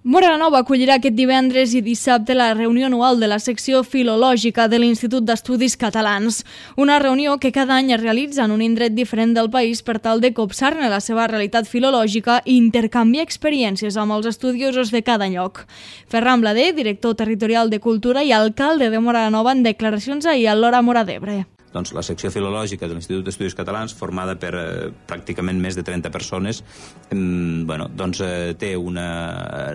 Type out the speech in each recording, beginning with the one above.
Móra la Nova acollirà aquest divendres i dissabte la reunió anual de la secció filològica de l'Institut d'Estudis Catalans. Una reunió que cada any es realitza en un indret diferent del país per tal de copsar-ne la seva realitat filològica i intercanviar experiències amb els estudiosos de cada lloc. Ferran Blader, director territorial de Cultura i alcalde de Móra la Nova, en declaracions ahir a l'Hora Móra d'Ebre. Doncs la secció filològica de l'Institut d'Estudis Catalans, formada per pràcticament més de 30 persones, té una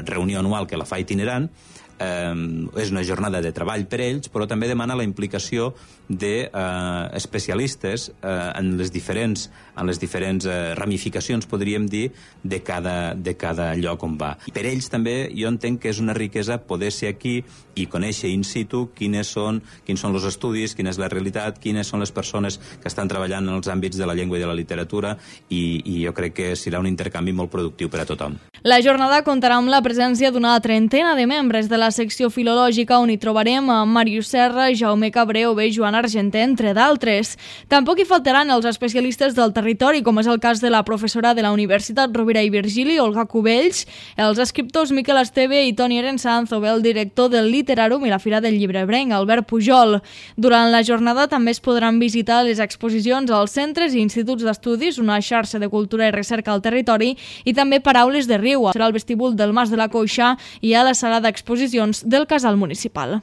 reunió anual que la fa itinerant. És una jornada de treball per ells, però també demana la implicació d'especialistes en les diferents ramificacions, podríem dir, de cada lloc on va. Per ells també jo entenc que és una riquesa poder ser aquí i conèixer in situ quins són els estudis, quina és la realitat, quines són les persones que estan treballant en els àmbits de la llengua i de la literatura, i jo crec que serà un intercanvi molt productiu per a tothom. La jornada comptarà amb la presència d'una trentena de membres de la secció filològica, on hi trobarem a Màrius Serra, Jaume Cabré o bé Joan Argenter, entre d'altres. Tampoc hi faltaran els especialistes del territori, com és el cas de la professora de la Universitat Rovira i Virgili, Olga Cubells, els escriptors Miquel Esteve i Toni Arensanz, o bé el director del Literàrum i la Fira del Llibrebrenc, Albert Pujol. Durant la jornada també es podran visitar les exposicions als centres i instituts d'estudis, una xarxa de cultura i recerca al territori, i també Paraules de Riu. Serà al vestíbul del Mas de la Coixa i a la sala d'exposicions del Casal Municipal.